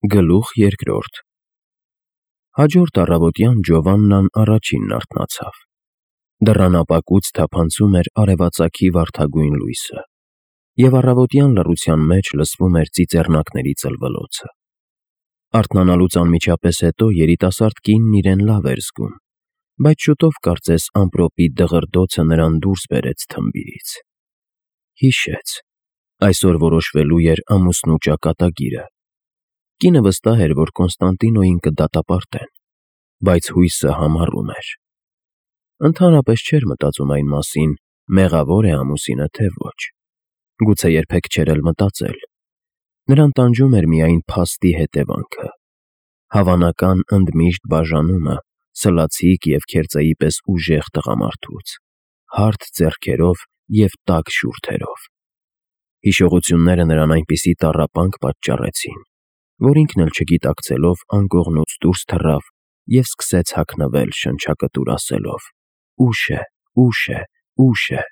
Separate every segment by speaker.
Speaker 1: Գլուխ երկրորդ Հաջորդ առավոտյան Ջովաննան առաջինն արթնացավ։ Դռան ապակուց թափանցում էր արևածագի վարդագույն լույսը, և առավոտյան լռության մեջ լսվում էր ծիծեռնակների ծլվլոցը։ Արթնանալուց անմիջապես հետո երիտասարդ կինն իրեն լավ էր զգում, բայց շուտով կարծես ամպրոպի դղրդոցը նրան դուրս բերեց թմբիրից։ Հիշեց. այսօր որոշվելու էր ամուսնու ճակատագիրը։ Կինը վստահ էր, որ Կոնստանտինոյին կդատապարտեն, բայց հույսը համառում էր։ Ընդհանրապես չէր մտածում այն մասին, մեղավոր է ամուսինը, թե ոչ։ Գուցե երբեք չէր էլ մտածել։ Նրան տանջում էր միայն փաստի հետևանքը, հավանական ընդմիշտ բաժանումը սլացիկ և քերծեի պես ուժեղ տղամարդուց, հարթ ձեռքերով և տաք շուրթերով։ Հիշողությունները նրան այնպիսի տառապանք պատճառեցին, որ ինքն էլ չգիտակցելով անկողնուց դուրս թռավ և սկսեց հագնվել շնչակտուր ասելով. «Ուշ է, ուշ է, ուշ է»։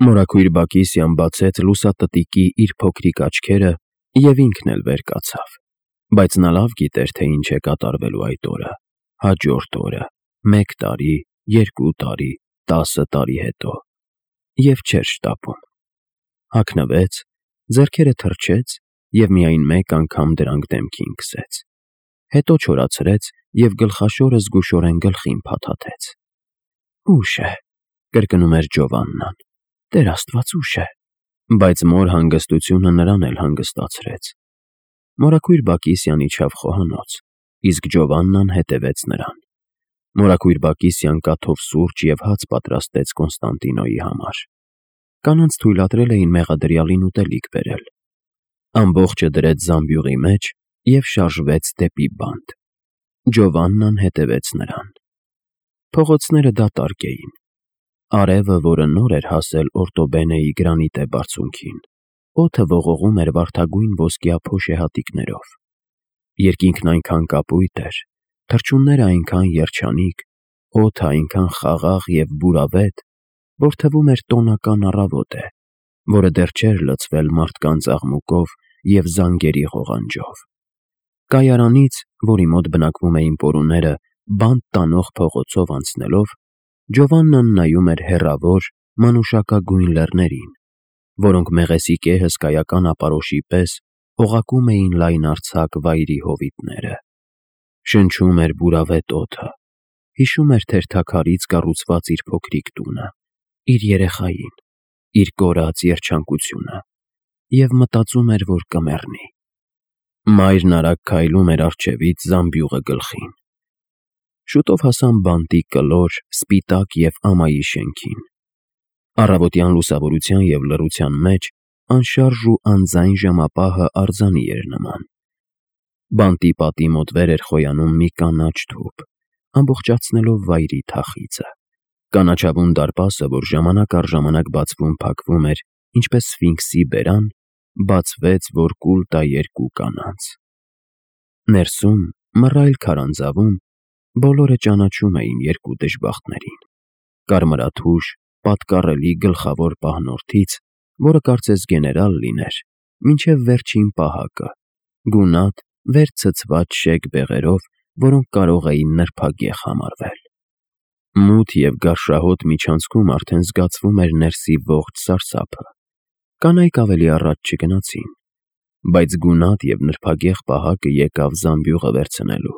Speaker 1: Մորաքույր Բակիսյան բացեց լուսատտիկի իր փոքրիկ աչքերը և ինքն էլ վեր կացավ, բայց նա լավ գիտեր, թե ինչ է կատարվելու այդ օրը, հաջորդ օրը, 1 տարի, 2 տարի, 10 տարի հետո, և չէր շտապում։ Հագնվեց, ձեռքերը թռչեց և միայն մեկ անգամ դրանք դեմքին քսեց, հետո չորացրեց և գլխաշորը զգուշորեն գլխին փաթաթեց։ «Ուշ է», կրկնում էր Ջովաննան, «Տեր Աստված, ուշ է»։ Բայց մոր հանգստությունը նրան էլ հանգստացրեց։ Մորաքույր Բակիսյան իջավ խոհանոց, իսկ Ջովաննան հետևեց նրան։ Մորաքույր Բակիսյան կաթով սուրճ և հաց պատրաստեց Կոնստանտինոյի համար։ Կանանց թույլատրել էին մեղադրյալին ուտելիք բերել։ Ամբողջը դրեց զամբյուղի մեջ և շարժվեց դեպի բանտ։ Ջովաննան հետևեց նրան։ Փողոցները դատարկ էին։ Արևը, որը նոր էր հասել Օրտոբենեի գրանիտե բարձունքին, օդը ողողում էր վարդագույն ոսկյա փոշեհատիկներով։ Երկինքն այնքան կապույտ էր, թռչունները այնքան երջանիկ, օդը այնքան խաղաղ և բուրավետ, որ թվում էր տոնական առավոտ է, որը դեռ չէր լցվել մարդկանց աղմուկով և զանգերի ղողանջով։ Կայարանից, որի մոտ բնակվում էին պորուները, բանտ տանող փողոցով անցնելով, Ջովաննան նայում էր հեռավոր, մանուշակագույն լեռներին, որոնք մեղեսիկե հսկայական ապարոշի պես օղակում էին լայնարձակ վայրի հովիտները։ Շնչում էր բուրավետ օդը, հիշում էր թերթաքարից կառուցված իր փոքրիկ տունը, իր երեխային, իր կորած երջանկությունը և մտածում էր, որ կմեռնի։ Մայրն արագ քայլում էր առջևից զամբյուղը գլխին։ Շուտով հասան բանտի կլոր, սպիտակ և ամայի շենքին։ Առավոտյան լուսավորության և լռության մեջ անշարժ ու անձայն ժամապահը արձանի էր նման։ Բանտի պատի մոտ վեր էր խոյանում մի կանաչ թուփ, ամբողջացնելով վայրի թախիծը։ Կանաչավուն դարպասը, որ ժամանակ առ ժամանակ բացվում-փակվում էր, ինչպես սֆինքսի բերան, բացվեց, որ կուլ տա երկու կանանց։ Ներսում, մռայլ քարանձավում, բոլորը ճանաչում էին երկու դժբախտներին՝ կարմրաթուշ, պատկառելի գլխավոր պահնորդից, որը կարծես գեներալ լիներ, մինչև վերջին պահակը, գունատ, վեր ցցված շեկ բեղերով, որոնք կարող էին նրբագեղ համարվել։ Մութ և գարշահոտ միջանցքում արդեն զգացվում էր ներսի ողջ սարսափը։ Կանայք ավելի առաջ չգնացին, բայց գունատ և նրբագեղ պահակը եկավ զամբյուղը վերցնելու,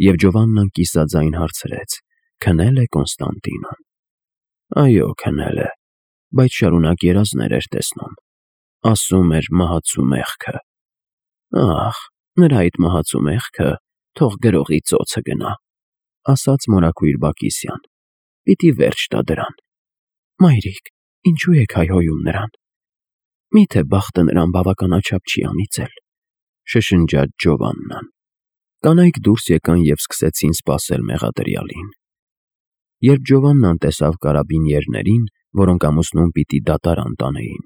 Speaker 1: և Ջովաննան կիսաձայն հարցրեց. «Քնել է Կոնստանտինոն»։ «Այո, քնել է, բայց շարունակ երազներ էր տեսնում։ Ասում էր մահացու մեղքը»։ «Ախ, նրա այդ մահացու մեղքը թող գրողի ծոցը գնա», ասաց մորաքույր Բակիսյան, «պիտի վերջ տա դրան»։ «Մայրիկ, ինչու եք հայհոյում նրան։ Մի՞թե բախտը նրան բավականաչափ չի անիծել», շշնջաց Ջովաննան։ Կանայք դուրս եկան և սկսեցին սպասել մեղադրյալին։ Երբ Ջովաննան տեսավ կարաբինյերներին, որոնք ամուսնուն պիտի դատարան տանեին,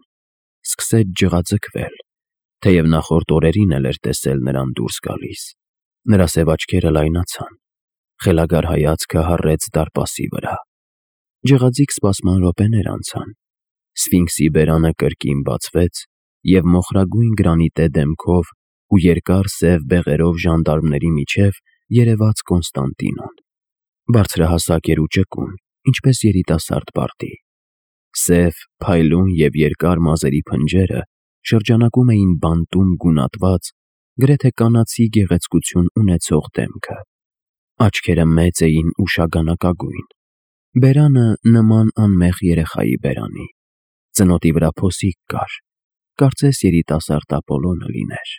Speaker 1: սկսեց ջղաձգվել, թեև նախորդ օրերին էլ էր տեսել նրան դուրս գալիս։ Նրա սև աչքերը լայնացան, խելագար հայացքը հառեց դարպասի վրա։ Ջղաձիգ սպասման րոպեներ անցան։ Սֆինքսի բերանը կրկին բացվեց, և մոխրագույն գրանիտե դեմքով ու երկար սև բեղերով ժանդարմների միջև երևաց Կոնստանտինոն։ Բարձրահասակ էր ու ճկուն, ինչպես երիտասարդ բարդի։ Սև, փայլուն և երկար մազերի փնջերը շրջանակում էին բանտում գունատված, գրեթե կանացի գեղեցկություն ունեցող դեմքը։ Աչքերը մեծ էին ու շագանակագույն, բերանը նման անմեղ երեխայի բերանի։ Ծնոտի վրա փոսիկ կար, կարծես երիտասարդ Ապոլոնը լիներ։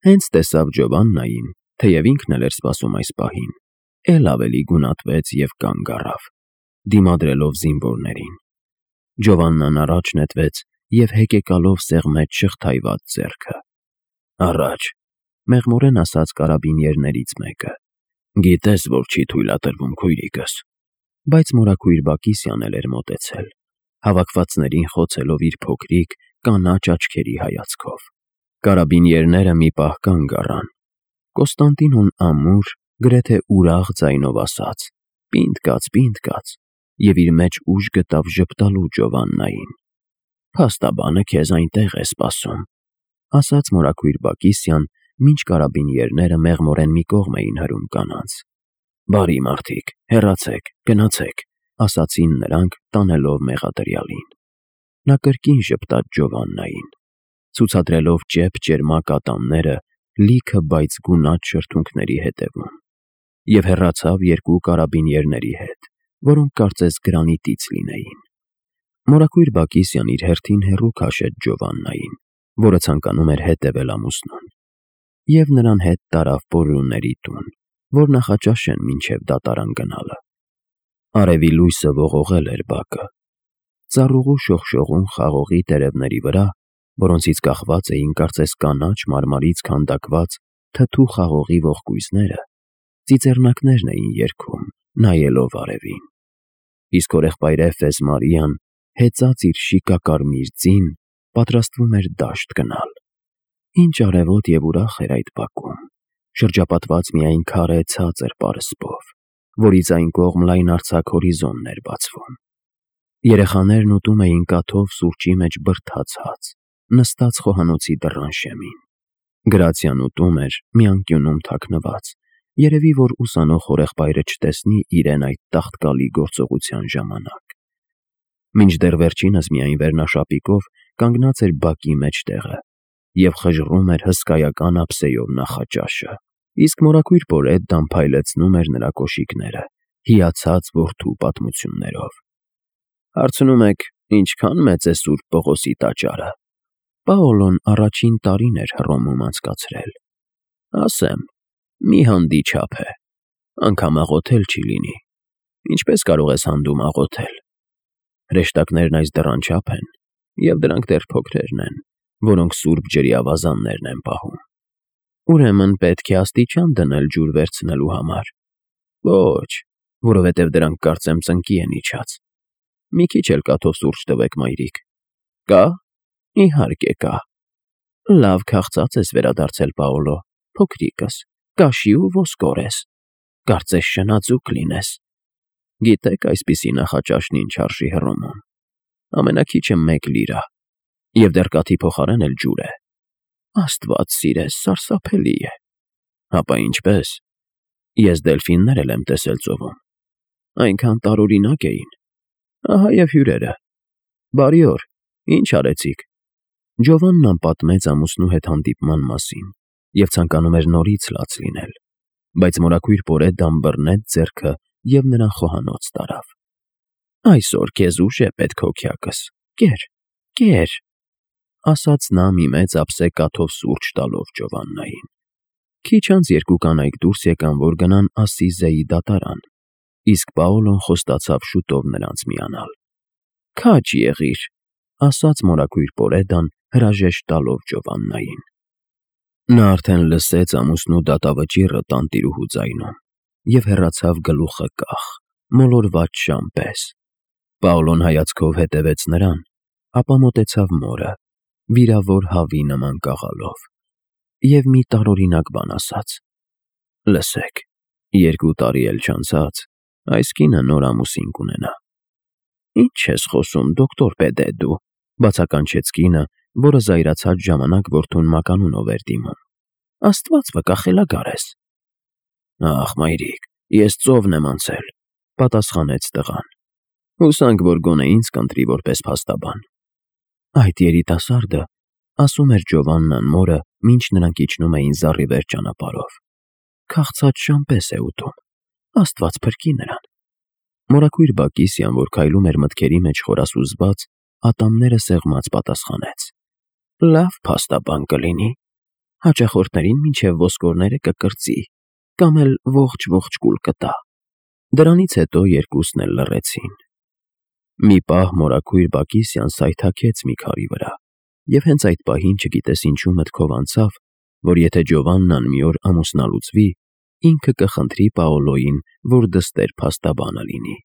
Speaker 1: Հենց տեսավ Ջովաննային, թեև ինքն էլ էր սպասում այս պահին, էլ ավելի գունատվեց և կանգ առավ, դիմադրելով զինվորներին։ Ջովաննան առաջ նետվեց և հեկեկալով սեղմեց շղթայված ձեռքը։ Առաջ, մեղմորեն ասաց կարաբինյերներից մեկը։ Գիտես, որ չի թույլատրվում, քույրիկս։ Բայց մորաքույր Բակիսյանն էլ էր մոտեցել, հավաքվածներին խոցելով իր փոքրիկ, կանաչ աչքերի հայացքով։ Կարաբինյերները մի պահ կանգ առան։ Կոստանդինոն ամուր, գրեթե ուրախ ձայնով ասաց. «Պինդ կաց», և իր մեջ ուժ գտավ ժպտալու Ջովաննային։ «Փաստաբանը քեզ այնտեղ է սպասում», ասաց մորաքույր Բակիսյան, մինչ կարաբինյերները մեղմորեն մի կողմ էին հրում կանանց։ «Բարի մարդիկ, հեռացեք, գնացեք», ասացին նրանք, տանելով մեղադրյալին։ Նա կրկին ժպտաց Ջովաննային, ցուցադրելով ճեպ-ճերմակ ատամները լիքը բայց գունատ շրթունքների ետևում, և հեռացավ երկու կարաբինյերների հետ, որոնք կարծես գրանիտից լինեին։ Մորաքույր Բակիսյան իր հերթին հեռու քաշեց Ջովաննային, որը ցանկանում էր հետևել ամուսնուն, և նրան հետ տարավ Պոլունների տուն, որ նախաճաշեն մինչև դատարան գնալը։ Արևի լույսը ողողել էր բակը։ Ծառուղու շողշողուն խաղողի տերևների վրա, որոնցից կախված էին կարծես կանաչ մարմարից քանդակված թթու խաղողի ողկույզները, ծիծեռնակներն էին երգում, նայելով արևին։ Իսկ հորեղբայր Էֆես Մարիան, հեծած իր շիկակարմիր ձին, պատրաստվում էր դաշտ գնալ։ Ինչ արևոտ և ուրախ էր այդ բակում, շրջապատված միայն քարե ցածր պարսպով, որից այն կողմ լայնարձակ հորիզոնն էր բացվում։ Երեխաներն ուտում էին կաթով սուրճի մեջ բրդաց հաց, նստած խոհանոցի դռան շեմին։ Գրացիան ուտում էր մի անկյունում թաքնված, երևի որ ուսանող հորեղբայրը չտեսնի իրեն այդ տաղտկալի գործողության ժամանակ։ Մինչդեռ վերջինս միայն վերնաշապիկով կանգնած էր բակի մեջտեղը և խժռում էր հսկայական ափսեով նախաճաշը, իսկ մորաքույր Պոլեդդան փայլեցնում էր նրա կոշիկները, հիացած որդու պատմություններով։ Հարցնում եք, ինչքան մեծ է Սուրբ Պողոսի տաճարը։ Պաոլոն առաջին տարին էր Հռոմում անցկացրել։ Ասեմ, մի հանդի չափ է, անգամ աղոթել չի լինի։ Ինչպես կարող ես հանդում աղոթել։ Հրեշտակներն այս դռան չափ են, և դրանք դեռ փոքրերն են, որոնք սուրբ ջրի ավազաններն են պահում։ Ուրեմն պետք է աստիճան դնել ջուր վերցնելու համար։ Ոչ, որովհետև դրանք կարծեմ ծնկի են իջած։ Մի քիչ էլ կաթով սուրճ տվեք, մայրիկ։ Կա։ Իհարկե կա։ Լավ քաղցած ես վերադարձել, Պաոլո, փոքրիկս, կաշի ու ոսկոր ես։ Կարծես շնաձուկ լինես։ Գիտեք այսպիսի նախաճաշն ինչ արժի Հռոմում։ Ամենաքիչը 1 լիրա, և դեռ կաթի փոխարեն էլ ջուր է։ Աստված սիրես, սարսափելի է։ Հապա ինչպես։ Ես դելֆիններ էլ եմ տեսել ծովում։ Այնքան տարօրինակ էին։ Ահա և հյուրերը։ Բարի օր, ինչ արեցիք։ Ջովաննան պատմեց ամուսնու հետ հանդիպման մասին և ցանկանում էր նորից լաց լինել, բայց մորաքույր Պոլեդդան բռնեց ձեռքը և նրան խոհանոց տարավ։ Այսօր քեզ ուժ է պետք հոգյակս, կեր, ասաց նա մի մեծ ափսե կաթով սուրճ տալով Ջովաննային։ Քիչ անց երկու կանայք դուրս եկան, որ գնան Ասսիզեի դատարան, իսկ Պաոլոն խոստացավ շուտով նրանց միանալ։ Քաջ եղիր, ասաց մորաքույր Պոլեդդան հրաժեշտ տալով Ջովաննային։ Նա արդեն լսեց ամուսնու դատավճիռը տանտիրուհու ձայնում և հեռացավ գլուխը կախ, մոլորված շան պես։ Պաոլոն հայացքով հետևեց նրան, ապա մոտեցավ մորը, վիրավոր հավի նման կաղալով, և մի տարօրինակ բան ասաց. Լսեք, 2 տարի էլ չանցած, այս կինը նոր ամուսին կունենա։ Ինչ ես խոսում, դոկտոր Պեդեդու, բացականչեց կինը, որը զայրացած ժամանակ որդուն մականունով էր դիմում։ Աստված վկա խելագար ես։ Ախ, մայրիկ, ես ծովն եմ անցել, պատասխանեց տղան։ Հուսանք, որ գոնե ինձ կընտրի որպես փաստաբան։ Այդ երիտասարդը, ասում էր Ջովաննան մորը, մինչ նրանք իջնում էին զառիվեր ճանապարհով, քաղցած շան պես է ուտում, Աստված փրկի նրան։ Մորաքույր Բակիսյան, որ քայլում էր մտքերի մեջ խորասուզված, ատամները սեղմած պատասխանեց. Լավ փաստաբան կլինի, հաճախորդներին մինչև ոսկորները կկրծի, կամ էլ ողջ կուլ կտա։ Դրանից հետո երկուսն էլ լռեցին։ Մի պահ մորաքույր Բակիսյան սայթաքեց մի քարի վրա, և հենց այդ պահին չգիտես ինչու մտքով անցավ, որ եթե Ջովաննան մի օր ամուսնալուծվի, ինքը կխնդրի Պաոլոյին, որ դստեր փաստաբանը լինի։